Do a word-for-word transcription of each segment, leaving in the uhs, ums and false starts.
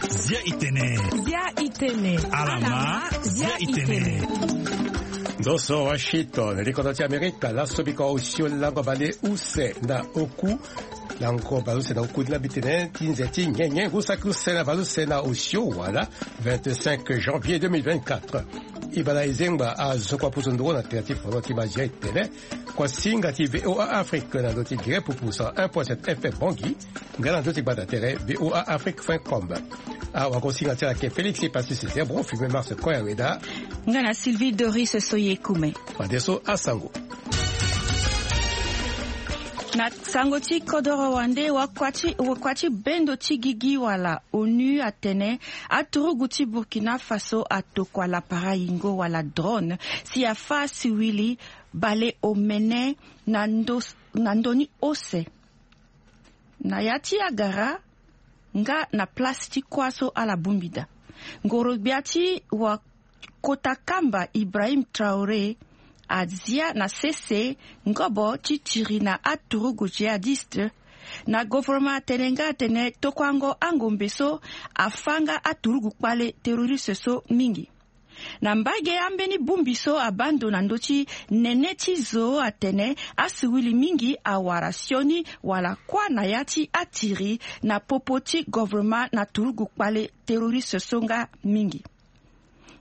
Zia itene. Zia itene. Alama. Zia itene. Ndo so Washington, likodo ti Amerika, laso biko osio lango baleuse na oku. Lango baleuse na oku ni la mbi tene ti nze ti nyenye ngu saki use na baleuse na osio wala vingt-cinq janvier deux mille vingt-quatre. Ibala Ezengba azo kua pusu nduru na tere ti fono ti mazia itene. Kua singa ti V O A Afrique na ndo ti gere pupu cent un point sept F M Bangui. Nga na ndo ti gbata tere V O A Afrique point com. Awagosinga ti ala ke Félix Passis Zebro, filme Mars Koya Weda. Nga na Sylvie Doris Soyekume. Fadeso asango. Na sango ti kodoro wande, wakua ti wakua ti bendo ti gigi wala onu atene aturugu ti Burkina Faso atokua lapara yingo wala drone si afa asiwili baleomene na ndo na ndo ni ose. Na ya ti agara nga na place ti kuâ so ala bongbi daa. Ngoro-gbia ti wakota kamba Ibrahim Traoré azia na sese ngobo ti tiri na aturugu jihadiste. Na gouvernement atene nga atene tokuango angombe so afa nga aturugu kpale terroriste so mingi. Na mbage ambeni bongbi so abaa ndo na ndö ti nene ti zo atene asiwili mingi awara sioni wala kuâ na ya ti atiri na popo ti gouvernement na turugu kpale terroriste so nga mingi.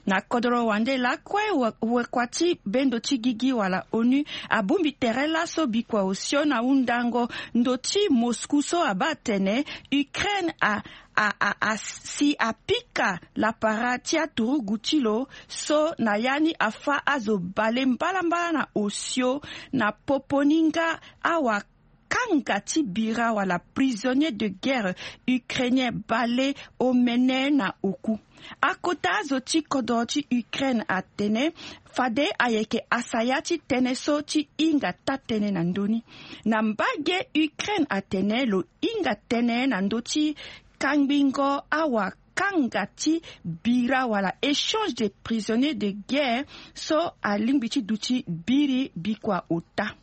Na kodoro wande lakue, wakua ti bendo ti gigi wala onu abongbi tere laso bikua osio na hundango ndo ti Moscou so abaa atene Ukraine a a a a si apika lapara ti aturugu ti lo so na ya ni afa azo bale mbalambala na osio na popo ni nga awakanga ti bira wala prisonnier de guerre ukrainien baleomene na oku. Akota azo ti kodoro ti Ukraine atene fade ayeke asaya ti tënë so ti hinga taa-tënë na ndö ni. Na mbage Ukraine atene lo hinga tënë na ndö ti kangbingo awakanga ti bira wala échange de prisonnier de guerre so alingbi ti duti biri bikua ota.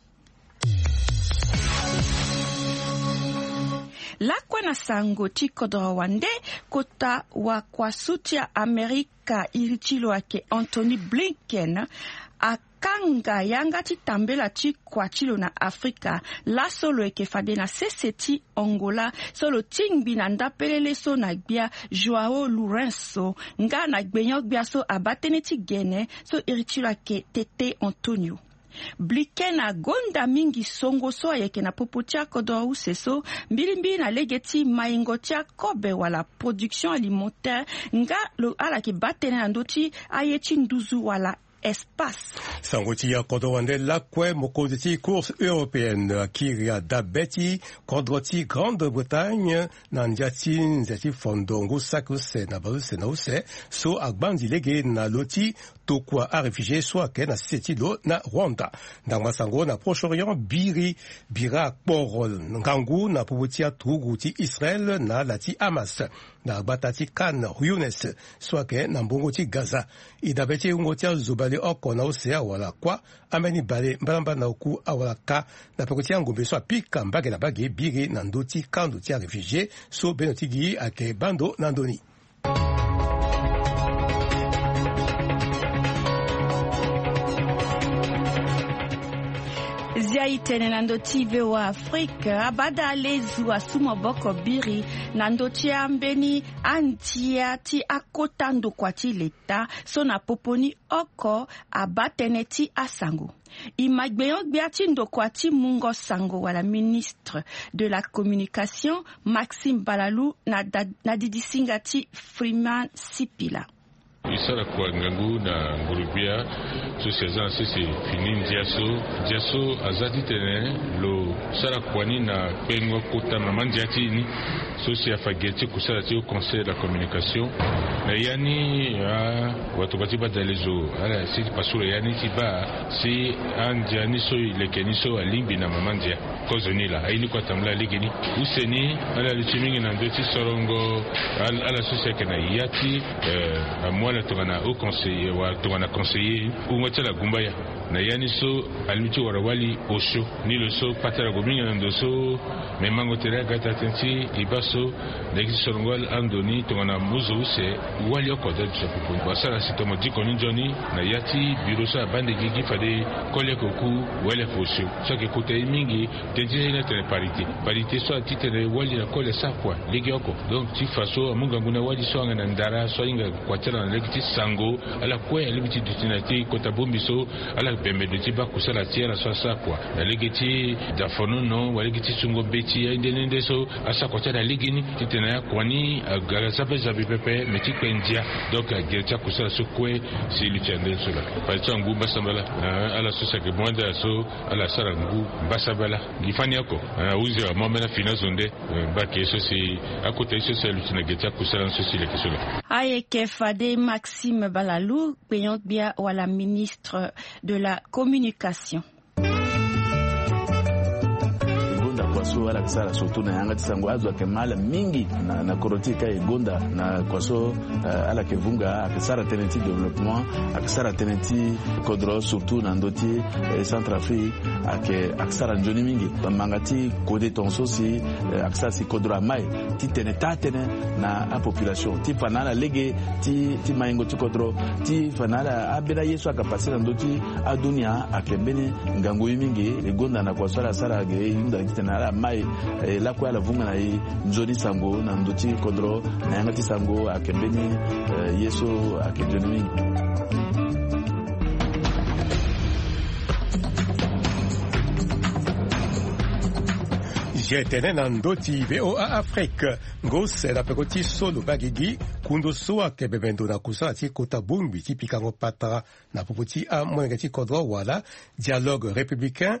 Lakue na sango ti kodoro wande, kota wakuasu ti Amerika iri ti lo ayeke Anthony Blinken akanga yanga ti tambela ti kua ti lo na Afrika. Laso lo yeke fade na sese ti Angola so lo tingbi na ndapelele so na gbia João Lourenço nga na gbenyo-gbia so abaa tënë ti gene so iri ti lo ayeke Tete Antonio. Blinken agonda mingi songo so ayeke na popo ti akodoro use so mbilimbili na lege ti maingo ti akobe wala production alimentaire nga lo ala yeke baa tënë na ndö ti aye ti nduzu wala espace. Sango ti akodoro wande lakue, mokonzi ti Cour européenne akiri adabe ti kodro ti Grande-Bretagne na ndia ti nze ti fondo ngu saki use na baleuse na use so agbanzi lege na lo ti tokua aréfugié so ayeke na sese ti lo na Rwanda. Ndangba sango na Proche-Orient, biri bira akporo ngangu na popo ti aturugu ti Israël na ala ti Hamas na gbata ti Khan Younis so ayeke na mbongo ti Gaza. E dabe ti wungo ti azo baleoko na use awara kuâ, ambeni bale mbalambala na oku awara ka na peko ti angombe so apika mbage na mbage biri na ndö ti kando ti aréfugié so bendo ti gi ayeke baa ndo na ndö ni. Zia itene na ndö ti V O A Afrique, abada alezu asu maboko biri na ndö ti ambeni andia ti akota ndokua ti leta so na popo ni oko abaa tënë ti asango. E ma gbenyo-gbia ti ndokua ti mungo sango wala ministre de la communication, Maxime Balalou, na da- na didisinga ti Freeman Sipila. E sara kua ngangu na nguru-gbia so si aza na sese fini ndia so. Ndia so aza titene lo sara kua ni na kpengo kota mama ndia ti e ni. So si afa gere ti kusala ti haut conseil de la communication. Na ya ni, ah, watokua ti badalezo ala si ti pasula ya ni ti baa si andia ni so e leke ni so alingbi na mama ndia. Kozoni laa aye ni kue atambula lege ni. Use ni ala luti mingi na ndö ti sorongo ala so si ayeke na ya ti, eh, amu ala tongana haut conseiller wala tongana conseiller. Wungo ti ala gumbaya. Na ya ni so, alingbi ti wara wali osio. Ni lo so patara gue mingi na ndo so, me mango tere aga taa tënë ti e baa so, na ye ti sorongo ando ni tongana muzo use, wali oko ade duti na popo ni. Wasara si tongana mo diko ni nzoni, na ya ti biro so abaa ndege gi fade koli oko oku, wali oko osio. So ayeke kota ye mingi. Tënë ti ni atene parité. Parité so atitene wali na koli asara kua legeoko. Donc ti fa so amu ngangu na wali so ayeke na ndara so ahinga kua ti ala na lege ti sango, ala kue alingbi ti duti na ti kota bongbi so, ala bembe duti baa kusala ti ala so asara kua na lege ti dafonono wala lege ti sungo mbeti, aye nde nde nde so asara kua ti ala legeni. Titene akua ni aga za pe za bi pepe, me ti kpe ndia. Donc agere ti akusala so kue, si luti ande so laa. Fade so angu mbasambala, eh, ala so si ayeke mu ande ala so, ala sara ngu mbasambala. Gi fani oko, eh, ahuzi amu ambeni afini azo nde, eh, baa ke so si akota ye so si aluti na ge ti akusala ni so si leke so laa. Ayeke fade Maxime Balalou, kpeyong-gbia wala ministre de la communication. E gonda kua so ala yeke sara surtout na yanga ti sango, azo ayeke ma ala mingi na, na kodro ti e ka e gonda na kua so, eh, ala yeke vunga, ayeke sara tënë ti développement, ayeke sara tënë ti kodro surtout na ndö ti, eh, Centrafrique, ayeke, ayeke sara nzoni mingi. Manga ti kode tongaso si, eh, ayeke sara si kodro amai titene taa tënë na apopulation ti fa na ala lege ti, ti maingo ti kodro, ti fa na ala ambeni aye so ayeke pase na ndö ti adunia, ayeke mbeni ngangu ye mingi. E gonda na kua so ala sara ge, e hunda titene ala mai, eh, lakue ala vunga na e nzoni sango na ndö ti kodro, na yanga ti sango ayeke mbeni, eh, ye so ayeke nzoni mingi. Je tene na ndö ti VOA Afrique, ngu use na peko ti so lo baa gigi, kundu so ayeke bembe ndo na kusala ti kota bongbi ti pikango patara na popo ti amolenge ti kodro wala dialogue républicain,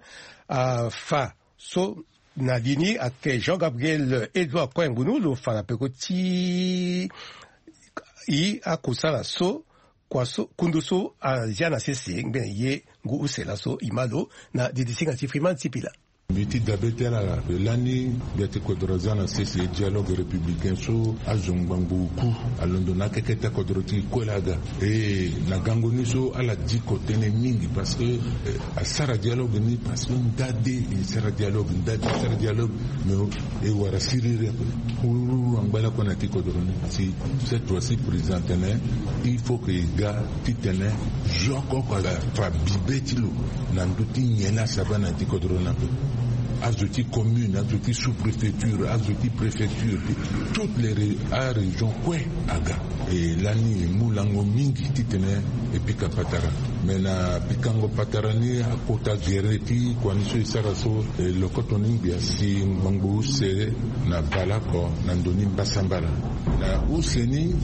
afa so na li ni ayeke Jean Gabriel Edouard Koyangunu lo fa na peko ti e akusala so, kua so, kundu so azia na sese ngbene ye ngu use laso e ma lo na didisinga ti Freeman Sipila. Mbi ti dabe ti ala, lani gbia ti kodro aza na sese dialogue républicain so azo ngbangbo oku alondo na akeke ti akodro ti kue laa aga. E na gango ni so ala diko tënë mingi parce que, eh, asara dialogue ni parce que ndade e sara dialogue, ndade e sara dialogue. Mais e wara siriri ape. Hururu angba lakue na ti kodro ni si cette fois-ci président atene il faut que e ga titene zo oko oko afa bibe ti lo na ndö ti nyen laa asara na ya ti kodro ni ape. Azo ti commune, azo ti sous-préfecture, azo ti préfecture, toutes les ré-, arégion kue aga. E lani e mu lango mingi titene e pika patara. Me na pikango patara ni akota gere ti kua ni so e sara so, e lokoto ni ngbia si ngbangbo use na baleoko na ndo ni mbasambala. Na use ni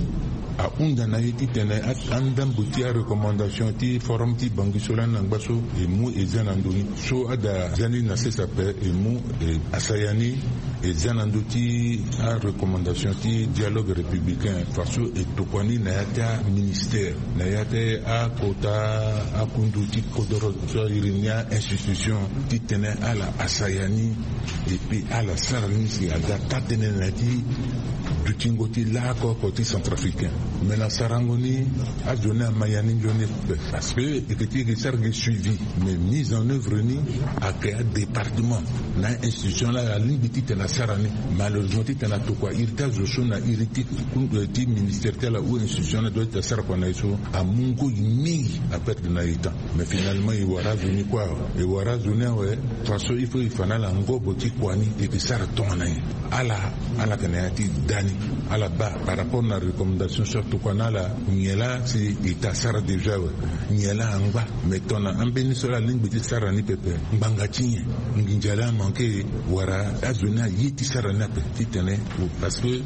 ahunda na e titene a, andambo ti arecommandation ti forum ti Bangui so lani na ngba so e mu e zia na ndo ni. So ada zia ni na sese ape e mu e asaya ni e zia na ndö ti arecommandation ti dialogue républicain, faso e tokua ni na ya ti aministère, na ya ti akota akundu ti kodoro so a iri ni a-institution titene ala asaya ni. Et puis ala sara ni si aga taa tënë na ya ti dutingo ti laoko oko ti centrafricain. Me na sarango ni azo ni ama ya ni nzoni. Parce que e yeke ti e yeke sara gi suivi, mais mise en œuvre ni ayeke adépartement na institution laa alingbi titene asara ni. Malheureusement titene atokua iri ti azo so na iri ti, ti ministère ti ala ou institution laa doit ti asara kua na e so, amu ngoi mingi, aperdre na e temps. Mais finalement e wara azo ni kue awe, e wara azo ni awe. Faso il faut e fa na ala ngobo ti kua ni e yeke sara tongana nyen. Ala, ala yeke na ya ti da ni. Ala baa par rapport na recommandation so atokua na ala, nyen laa si e ta sara déjà awe, nyen laa angba. Mais tongana ambeni so laa alingbi ti sara ni pepe, ngbanga ti nyen? Nginza laa amanke? Wala azo ni aye ti sara ni ape titene, parce que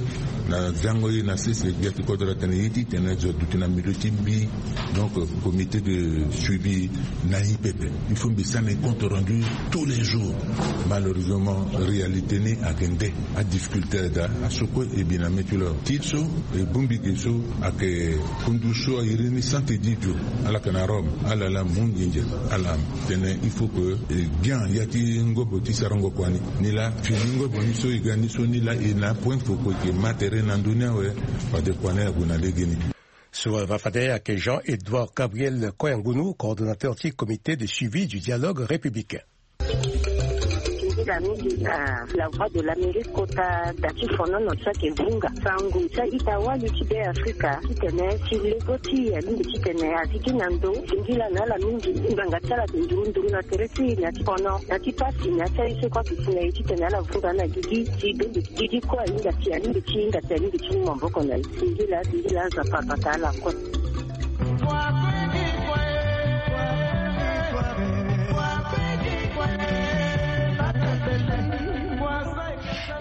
na zango ye na sese gbia ti kodro atene ye titene zo aduti na milieu ti mbi. Donc comité de suivi na e pepe. Il faut mbi sara na e compte rendu tous les jours. Malheureusement réalité ni ayeke nde. Adifficulté ada, aso kue e bi na mê ti lo awe. Ti so e bongbi ge so ayeke kundu so a iri ni Sante Didio, ala yeke na Rome, ala laa mu nginza, ala tene il faut que e gbia ya ti ngobo ti sarango kua ni. Ni laa fini ngobo ni so e ga ni so ni laa e na apoint foko e yeke ma tere na ndö ni awe. Fade kua ni ague na legeni. So va fade ayeke Jean-Édouard Gabriel Koyangunu, coordonnateur ti Comité de suivi du dialogue républicain. Singila mingi na La Voix de l'Amérique kota da ti fonono ti ayeke vunga sango ti a-ita-wali ti Be Afrika titene ti lego ti e mingi titene azi gi na ndo. Singila na ala mingi ngbanga ti ala ayeke nduru nduru na tere ti e na ti fono na ti pasi na ti aye so kue ayeke si na e titene ala vunga na gigi ti be gigi kue ahinga ti ahinga ti hinga ti ahinga ti mu maboko na e. Singila singila Nzapa abata ala kue.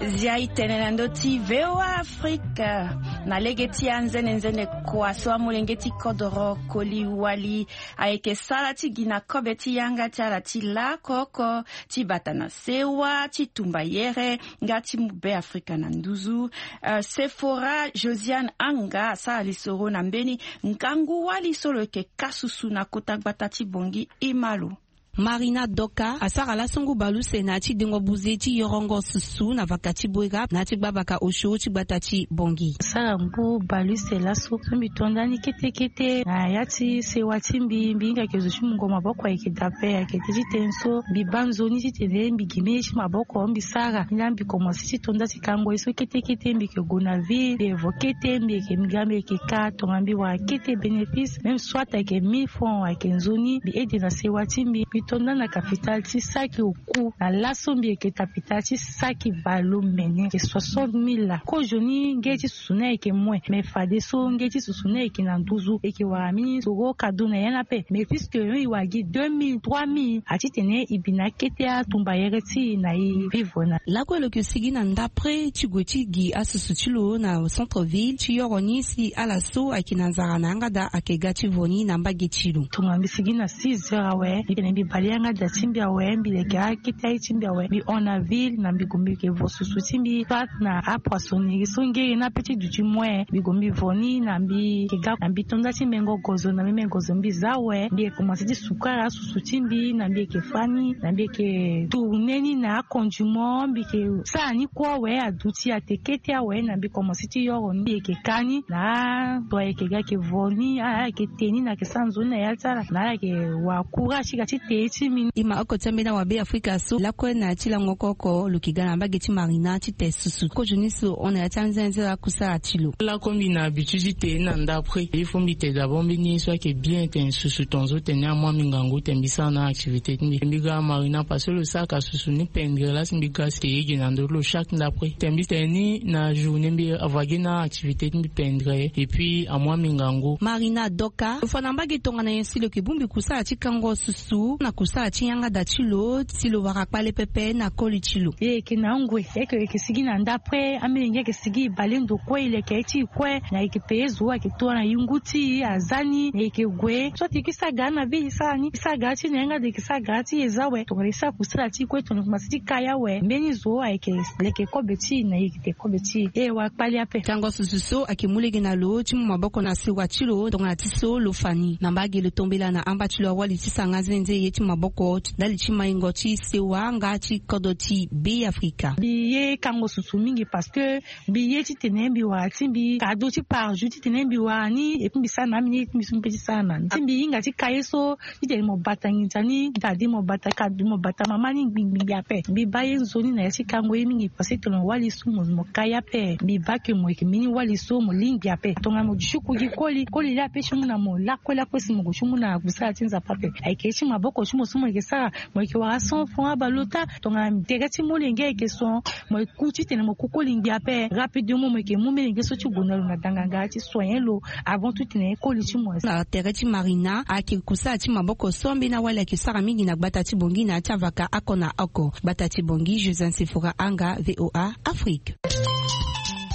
Zia e tene na ndö ti V O A Afrique. Na lege ti anzene nzene kua so amolenge ti kodoro Koli Wali ayeke sara ti gi na kobe ti yanga ti ala ti lako oko ti bata na sewa ti tumba yere nga ti mu Be Afrika na nduzu. Eh, Sephora Josiane Anga asara lisoro na mbeni ngangu wali so lo yeke ka susu na kota gbata ti Bongi. Ima lo. Marina Doka asara laso ngu baleuse na ya ti dengo buze ti yorongo susu na vaka ti Boera na ya ti gbavaka osio ti gbata ti Bongi. Sara ngu baleuse laso so mbi to ndani kete kete na ya ti sewa ti mbi, mbi hinga yeke zo ti mungo maboko ayeke daa ape, ayeke tënë ti tënë so mbi baa nzoni titene mbi gi mbeni ye ti maboko mbi sara. Mbi laa mbi komanse ti to nda ti kango ye so kete kete mbi yeke gue na ville, mbi yeke vo kete mbi yeke mbi ga mbi yeke ka tongana mbi wara kete bénéfice même soit ayeke mille francs ayeke nzoni mbi aide na sewa ti mbi. Mbi to nda na capitale ti saki oku na laso mbi yeke capitale ti saki baleuse mene ayeke soixante mille laa. Kozoni nge ti susu ni ayeke moins mais fadeso nge ti susu ni ayeke na nduzu e yeke wara mbeni soro cadeau na ya ni ape. Mais puisque e wara gi deux mille trois mille atitene e bi na akete atumba yere ti e na e vivre na. Lakue lo yeke sigi na ndapre ti gue ti gi asusu ti lo na centre ville ti yoro ni si ala so ayeke na nzara na yanga daa ayeke ga ti vo ni na mbage ti lo. Tongana mbi sigi na six heures awe mbi tene mbi bale yanga daa ti mbi awe mbi leke akete aye ti mbi awe mbi hon na ville na mbi gue mbi yeke vo susu ti mbi soit na apoissonnerie so ngere ni ape ti duti moyen mbi gue mbi vo ni na mbi yeke ga na mbi to nda ti mengo gozo na mbi mengo gozo mbi za awe mbi yeke komanse ti sukara asusu ti mbi na mbi yeke fa ni na mbi yeke tourne ni na akondiment mbi yeke sara ni kue awe aduti ate kete awe na mbi komanse ti yoro ni mbi yeke ka ni na ato ayeke ga yeke vo ni ala yeke te ni na yeke sara nzoni na ya ti ala na ala yeke wara courage ti ga ti te ye ti mbi ni. E ma oko ti ambeni awabe afrika so lakue na ya ti lango oko oko lo yeke ga na mbage ti marina ti te susu kozoni so hon na ya ti anzenze akusala ti lo. Lakue mbi na habitude ti te na ndapre il faut mbi te d'abord mbeni ye so ayeke bien tene susu tongaso tene amu ambi ngangu tene mbi sara na activité ti mbi mbi ga marina parce que lo sara ka susu ni pendre la si mbi ga si te ye gi na ndö ti lo chaque ndapre tene mbi tene ni na journée mbi avoa gi na activité ti mbi pendre et puis amu ambi ngangu. Marina doka lo fa na mbage tongana nyen si lo yeke bongbi kusala ti kango susu na kusala ti yanga da ti lo si lo wara kpale pepe na koli ti lo. E yeke na ngoi e yeke sigi na ndapre amilenge ayeke sigi e bale ndo kue e leke aye ti e kue na e yeke paye zo ayeke tua na yungu ti e aza ni na e yeke gue so ati e kue sara gara na vie e sara ni e sara gara ti e na yanga da e yeke sara gara ti e eza awe tongana e sara kusala ti e kue tongana e komanse ti ka ye awe mbeni zo ayeke leke kobe ti e na e yeke te kobe ti e e wara kpale ape. Tango susu so ayeke mu lege na lo ti mu maboko na sewa ti lo tongana ti so lo fa ni na mbage lo tombela na amba ti lo awali ti sara nga nzenze ye ti maboko ndali ti maingo ti sewa nga ti kodro ti be afrika. Mbi ye kango susu mingi parce que mbi ye titene mbi wara ti mbi kado ti par jour titene mbi wara ni epui mbi sara na amini ye ti mbi so mbi pe ti sara na ni ti mbi hinga ti ka ye so titene mo bata nginza ni dade mo bata kado mo bata mama ni ngbingbingbi ape mbi baa ye nzoni na ya ti kango ye mingi parce que tongana wali so mo ka ye ape mbi baa ke mo yeke mbeni wali so mo lingbi ape tongana mo duti ku gi koli koli laa ape ti mu na mo lakue lakue si mo gue ti mu na kusala ti nzapa ape ayeke ye ti maboko ti mo so mo yeke sara mo yeke wara cent franc abale ota tongana tere ti molenge ayeke so mo ku titene mo ku koli ngbi ape rapidement mo yeke mu melenge so ti gue na lo na danganga ti soigner lo avant tout titene koli ti mo. Na tere ti marina ayeke kusala ti maboko so ambeni awali ayeke sara mingi na gbata ti bongi na ya ti avaka oko na oko gbata ti bongi joseph sefora anga voa afrique.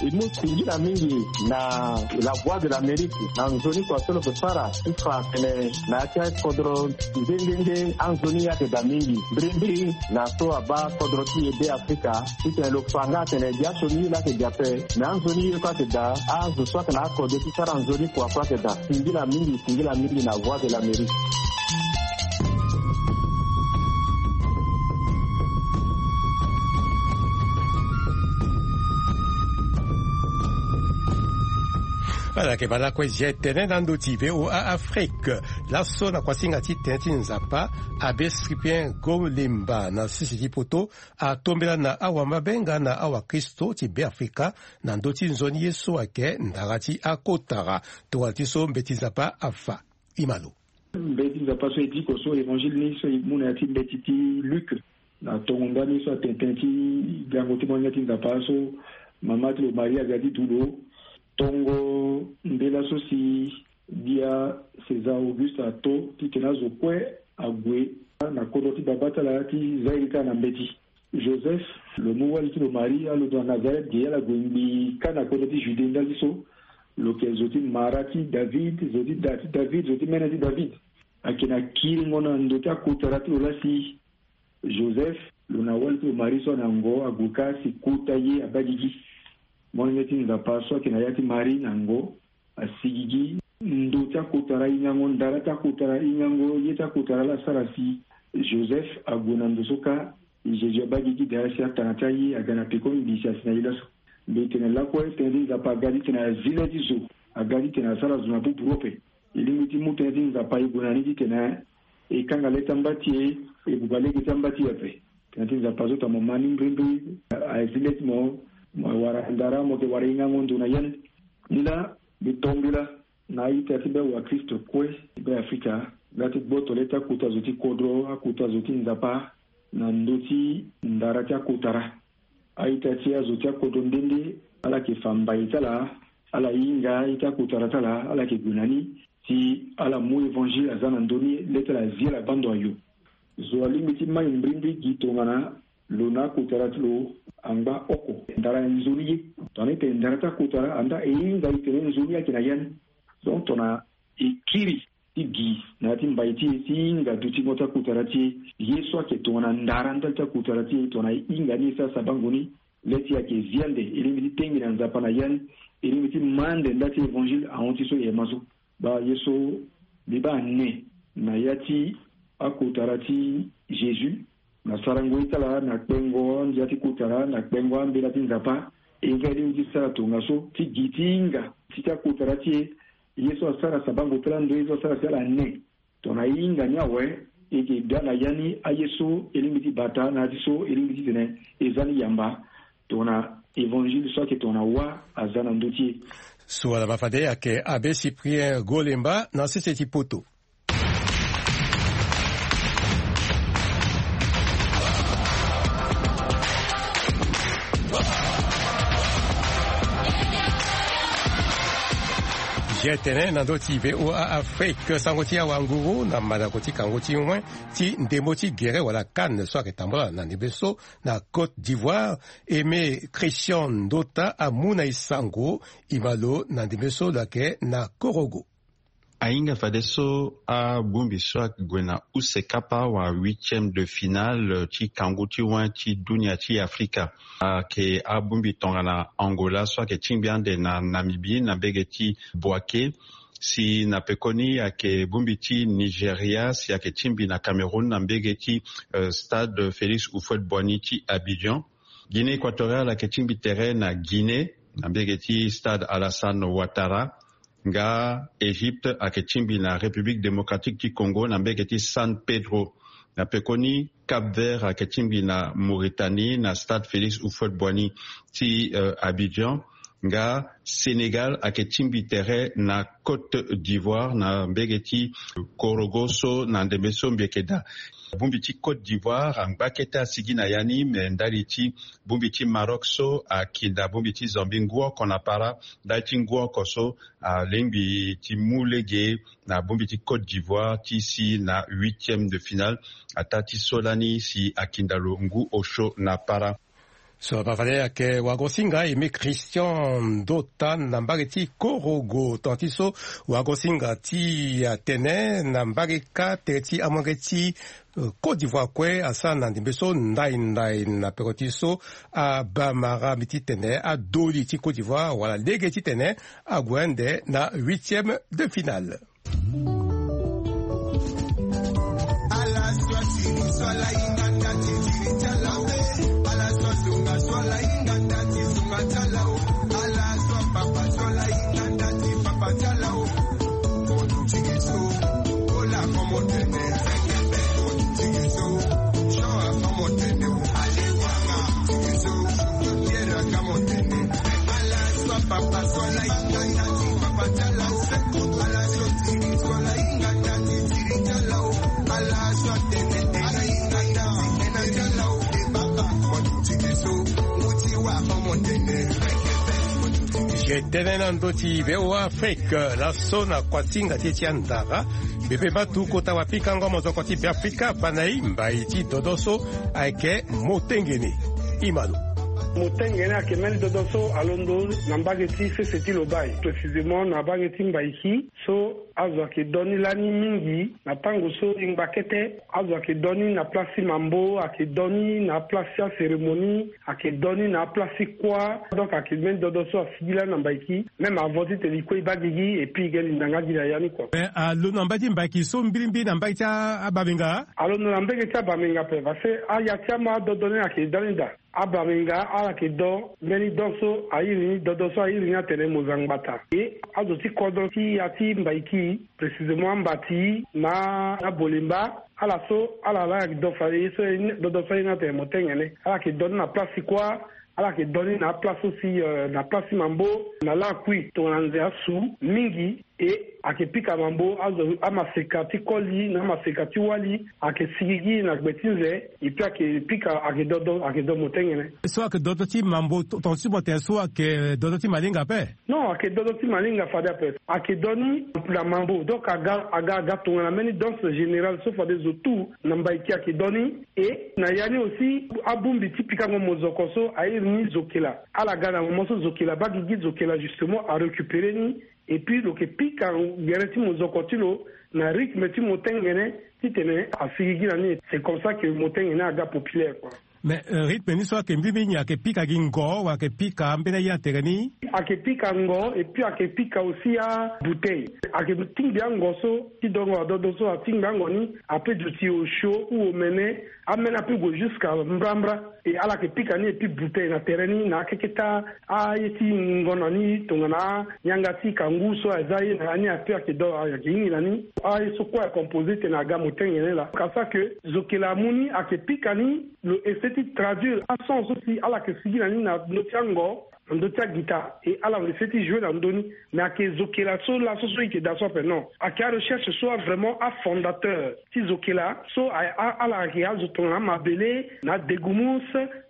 E mu singila mingi na la voix de l'amérique na nzoni kua so lo ke sara ti fa atene na ya ti akodro nde nde nde anzoni ye ayeke daa mingi mbirimbiri na so abaa kodro ti e be afrika titene lo fa nga atene gi asioni ye laa ayeke gi ape me anzoni ye kue ayeke daa azo so ayeke na akode ti sara nzoni kua kue ayeke daa singila mingi singila mingi na voix de l'amérique. Ala yeke baa lakue. Zia tene na ndö ti VOA Afrique. Laso na kuasinga ti tënë ti Nzapa, Abbé Cyprien Golemba na sese ti poto atombela na awamabe nga na awakristo ti Beafrika na ndö ti nzoni ye so ayeke ndara ti akotara. Tongana ti so mbeti Nzapa afa. Ima lo. Mbeti Nzapa so e diko so évangile ni so e mu na ya ti mbeti ti Luc, na tongo ndani so atene tënë ti gango ti molenge ti Nzapa so mama ti lo Maria aga ti du lo. Tongo nde laso si gbia César Auguste ato titene azo kue ague na kodro ti babâ ti ala ti za ye li kâ na mbeti. Joseph lo mu wali ti lo Marie, alondo na Nazareth ge, ala gue ngbii kâ na kodro ti Judée ndali so. Lo yeke zo ti mara ti David, zo ti da ti David, zo ti mene ti David. Ayeke na kiringo na ndo ti akotara ti lo laa si Joseph lo na wali ti lo Marie so ana ngo ague kâ si kota ye abaa gigi. Molenge ti Nzapa so ayeke na ya ti Marie na ngo asi gigi. Ndo ti akotara ahingango, ndara ti akotara ahingango, ye ti akotara laa asara si Joseph ague na ndo so kâ. Jésus abaa gigi daa si atanga ti aye aga na pekoni mbi si asi na ye laso. Mbi tene lakue tënë ti Nzapa aga titene azi le ti zo, aga titene asara zo na buburu ape. E lingbi ti mu tënë ti Nzapa e gue na ni titene e kanga le ti amba ti e, e buba lege ti amba ti e ape. Tënë ti Nzapa so tongana mo ma ni mbrimbri, azi le ti mo, mo wara ndara, mo yeke wara hingango ndo na ya ni. Ni laa mbi to mbela na a-ita ti be wakristo kue ti Beafrika nga ti gboto le ti akota zo ti kodro, akota zo ti Nzapa na ndö ti ndara ti akotara. A-ita ti azo ti akodro nde nde ala yeke fa mbai ti ala, ala hinga ye ti akotara ti ala, ala yeke gue na ni si ala mu évangile aza na ndö ni, le ti ala zi ala baa ndo ayo. Zo alingbi ti mai mbrimbri gi tongana lo na akotara ti lo angba oko. Ndara nzoni ye. Tongana e tene ndara ti akotara, andaa e hinga e tene nzoni ayeke na ya ni. Donc tongana e kiri ti gi na ya ti mbai ti e ti hinga dutingo ti akotara ti e, ye so ayeke tongana ndara ndali ti akotara ti e, tongana e hinga ni e sara sabango ni, le ti e ayeke zi ande, e lingbi ti tenge na Nzapa na ya ni, e lingbi ti ma ande nda ti évangile ahon ti so e ma so. Baa ye so mbi baa ne na ya ti akotara ti Jésus, na sarango ye ti ala, na kpengo andia ti kotara, na kpengo ambela ti Nzapa. E nga e lingbi ti sara tongaso ti gi ti hinga ti ti akotara ti e, ye so asara sabango ti ala ndo ye so asara si ala ne. Tongana e hinga ni awe, e yeke ga na ya ni aye so e lingbi ti bata na ya ti so e lingbi titene e za ni yamba. Tongana évangile so ayeke tongana wâ aza na ndö ti e. So ala ma fade ayeke Abbé Cyprien Golemba na sese ti poto. Zia tene na ndö ti VOA Afrique, sango ti awanguru na mandako ti kango ti wen ti ndembo ti gere wala CAN so ayeke tambula na ndembe so na Côte d'Ivoire. Aimé Christian Ndota amu na e sango, e ma lo na ndembe so lo yeke na Korogo. Ahinga fadeso abongbi so ague na use kapa wa huitième de finale ti kangu ti wen ti dunia ti Afrika. Ayeke abongbi tongana Angola so ayeke tingbi ande na Namibie na mbege ti Bouaké. Si na pekoni ayeke bongbi ti Nigeria si ayeke tingbi na Cameroun na mbege ti, euh, stade Félix Houphouët-Boigny ti Abidjan. Guinée Équatoriale ayeke tingbi tere na Guinée na mbege ti stade Alassane Ouattara. Nga Égypte ayeke tingbi na République Démocratique ti Congo na mbege ti San Pedro. Na pekoni Cap-Vert ayeke tingbi na Mauritanie na stade Félix Houphouët-Boigny ti, euh, Abidjan. Nga Sénégal ayeke tingbi tere na Côte d'Ivoire na mbege ti Korogo so na ndembe so mbi yeke daa. Bongbi ti Côte d'Ivoire angba kete asigi na ya ni, me ndali ti bongbi ti Maroc so akinda bongbi ti Zambie ngu oko na para. Ndali ti ngu oko so alingbi ti mu lege na bongbi ti Côte d'Ivoire ti si na huitième de finale, ataa ti so lani si akinda lo ngu osio na para. So bavale ayeke wagosinga Aimé Christian Ndota na mbage ti Korogo. Tongana ti so wagosinga ti atene na mbage kâ tere ti amolenge ti, euh, Côte d'Ivoire kue asara na ndembe so ndai ndai na peko ti so abamara mbi titene adoli ti Côte d'Ivoire wala lege titene ague ande na huitième de finale. E tene na ndö ti V O A Afrique, laso na kuasinga ti e ti andara, bebe matu kota wapikango mozoko ti Beafrika abana e mbai ti dodo so ayeke motengene. Imano. Motengene ayeke mbeni dodo so alondo na mbage ti sese ti Lobaye, précisément na mbage ti Mbaiki. So azo ayeke do ni lani mingi na tango so e ngba kete. Azo ayeke do ni na place ti mambo, ayeke do ni na place ti acérémonie, ayeke do ni na place ti kuâ. Donc ayeke mbeni dodo so asigi lani na Mbaiki. Même avant titene e kue e baa gigi et puis e ge linda nga gi na ya ni kua. Mais alondo na mbage ti Mbaiki so mbirimbiri na mbage ti a- abamenga? Alondo na mbage ti abamenga ape parce que aya ti ama adodo ni ayeke da ni daa. Abamenga ala yeke do mbeni don so a iri ni dodo so a iri ni atene Mozangbata. E azo ti kodro ti ya ti Mbaiki, précisément Ambati na Abolemba, ala so ala laa ayeke do fade ye so dodo so a iri ni atene Motengene. Ala yeke do ni na place ti kuâ, ala yeke do ni na aplace so si, euh, na place ti mambo na lakui tongana nze asu mingi. E ayeke pika mambo azo amaseka ti koli na amaseka ti wali, ayeke sigi gi na gbe ti nze. Et puis ayeke pika, ayeke dodo, ayeke do motengene. So ayeke dodo ti mambo to- tonga ti mo tene so ayeke dodo ti malinga ape? Non, ayeke dodo ti malinga fade ape. Ayeke do ni na mambo, donc aga aga aga tongana mbeni danse générale so fade zo tout na Mbaiki ayeke do ni. E na ya ni aussi abongbi ti pikango mozoko so a iri ni zokela. Ala ga na moment so zokela baa gigi, zokela justement arécupéré ni. Et puis lo yeke pika gere ti mozoko ti lo na rythme ti motengene titene asigi gi na ni. C'est comme ça que motengene aga populaire quoi. Mais, euh, rythme ni so ayeke mbirimbiri nyen? Ayeke pika gi ngo wala ayeke pika ambeni aye na tere ni? Ayeke pika ngo et puis ayeke pika aussi abouteille. Ayeke tingbi ango so ti dongo adodo so atingbi ango ni ape duti osio ou omene. Amene ape gue jusqu'à mbrambra. E ala yeke pika ni et puis bouteille na tere ni na akeketa aye ti ngo na ni tongana yanga ti kangu so aza ye na ya ni ape ayeke do ayeke hingi na ni. Aye so kue acomposé tene aga motengene laa. Ka sa que zokela amu ni ayeke pika ni, lo essaie ti traduire ason so si ala yeke sigi na ni na ndö ti ango, na ndö ti agita. E ala essaie ti jouer na ndö ni. Mais ayeke zokela so laso so e yeke daa so ape non. Ayeke arecherche so a vraiment afondateur ti zokela so a- a- ala yeke azo tongana amabele na adegumus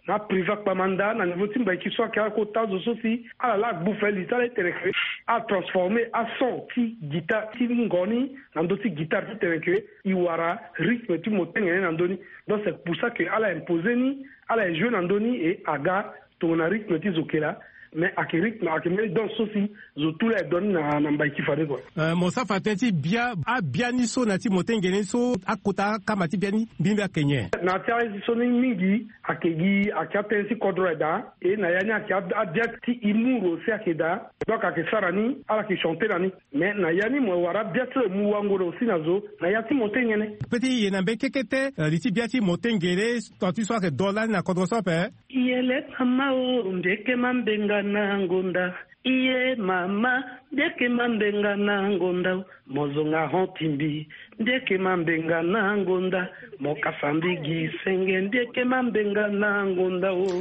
na apriva kpamanda na niveau ti Mbaiki so ayeke akota zo so si ala laa agbu fali ti ala ti tene ke atransformer ason ti guitare ti ngo ni na ndö ti guitare ti tene ke e wara rythme ti motengene na ndö ni. Donc c'est pour ça que ala imposer ni, ala e jouer na ndö ni et aga tongana rythme ti zokela. Mais ayeke rythme ayeke mbeni danse so si zo tout laa e do ni na na Mbaiki fade kua. Euh, mo sara fa tënë ti bia abia ni so na ya ti motengene ni so akota akama ti bia ni mbirimbiri ayeke nyen? Na ya ti aye so ni mingi ayeke gi ayeke atënë ti kodro aye daa. E na ya ni ayeke abia ti humour aussi ayeke daa. Donc ayeke sara ni ala yeke chanter na ni. Mais na ya ni mo wara bia ti lo e mu wango na aussi na zo na ya ti motengene. Pe ti ye na mbeni kekete, euh, li ti bia ti motengene, tant ti so ayeke do lani na kodro so ape. Iye le mama o, mbi yeke mambenga na ngonda. Iye mama, mbi yeke mambenga na ngonda o. Mo zonga hon ti mbi, mbi yeke mambenga na ngonda. Mo kasa mbi gi senge, mbi yeke mambenga na ngonda o.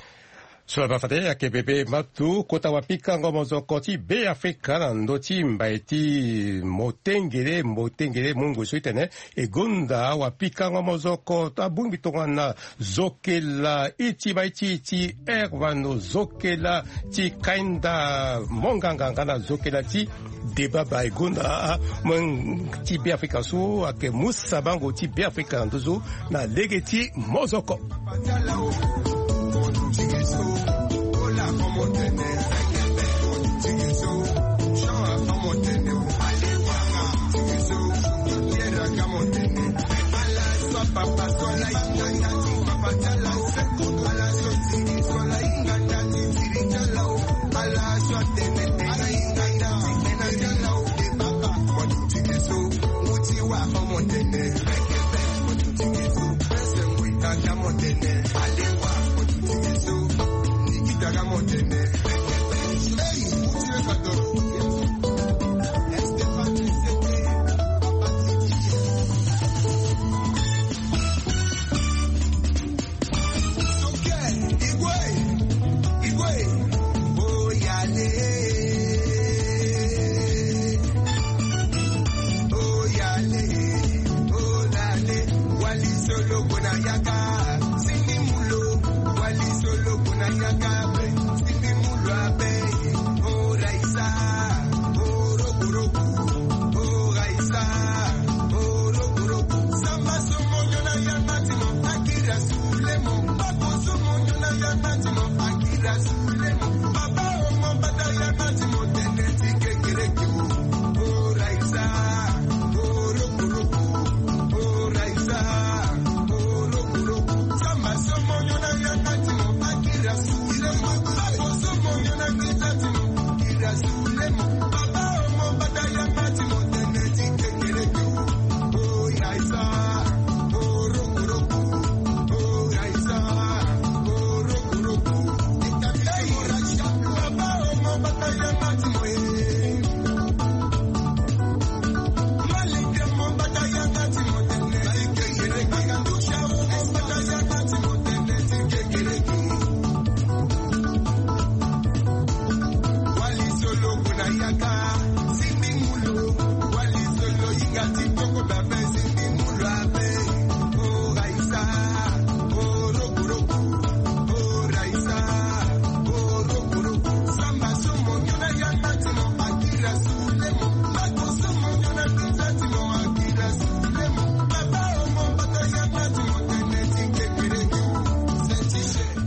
So na ba fade ayeke bebe matu kota wapikango mozoko ti Beafrika na ndö ti mbai ti motengele, motengele mungo so ti tene e gonda wapikango mozoko abongbi tongana zokela iti ba iti ti Hervano, zokela ti Kainda Monganga nga na zokela ti Debaba. E gonda mo ti Beafrika so ayeke mu sabango ti Beafrika na ndö so na lege ti mozoko.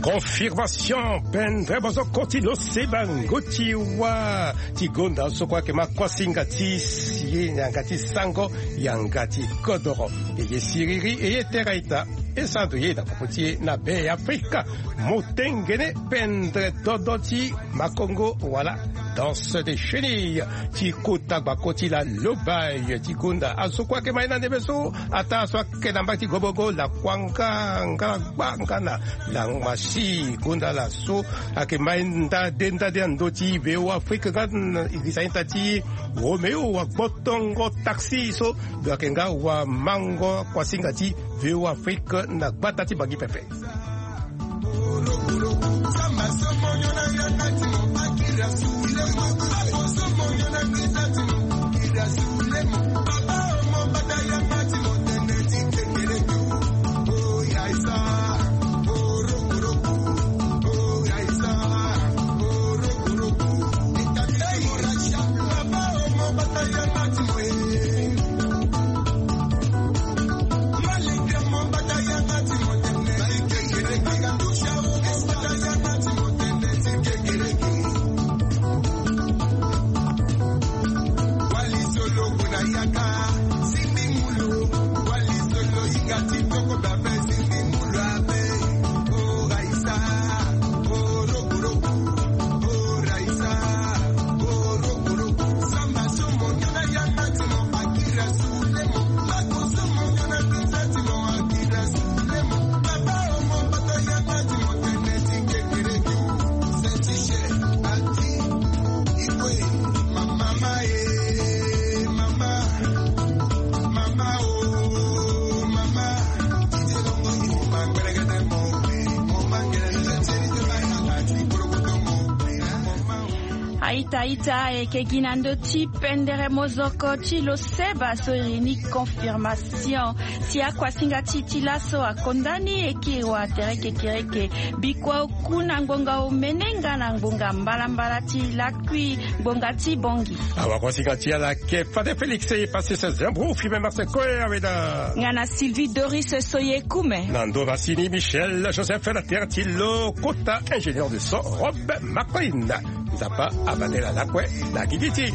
Confirmation pendere bozoko ti lo se bango ti wa ti gonda so kue ayeke ma kuasinga ti si yanga ti sango yanga ti kodoro. E ye siriri e ye tera ita. E sando ye na popo ti e na be afrika. Motengene pendere dodo ti makongo wala danse de chenille ti kota gbako ti la lobai ti gonda azo kue ayeke ma ye na ndembe so. Ata so ayeke na mbage ti gobogo lakuanga nga gbanga na langmasi gonda la so ayeke ma ye nda de nda de na ndö ti veo afrike nga. Irisa ita ti romeo wa gbotongo taxi so. Lo yeke nga wa mango kuasinga ti veo afrike na gbata ti bangi pepe. Aita aita e yeke gi na ndö ti pendere mozoko ti lo seba so iri ni confirmation. Si akuasinga ti ti laso akonda ni e kiri wa tere kekereke. Bikua oku na ngbonga omene nga na ngbonga mbalambala ti lakui ngbonga ti bongi. Awa kuasinga ti ala ke fade félix e pasi se zembro fime marse koe aweda. Nga na sylvie doris so ye kume na ndo na sini michel joseph na tere ti lo kota ingénieur de son robe maclin. Nzapa abandela lakue na gigi ti.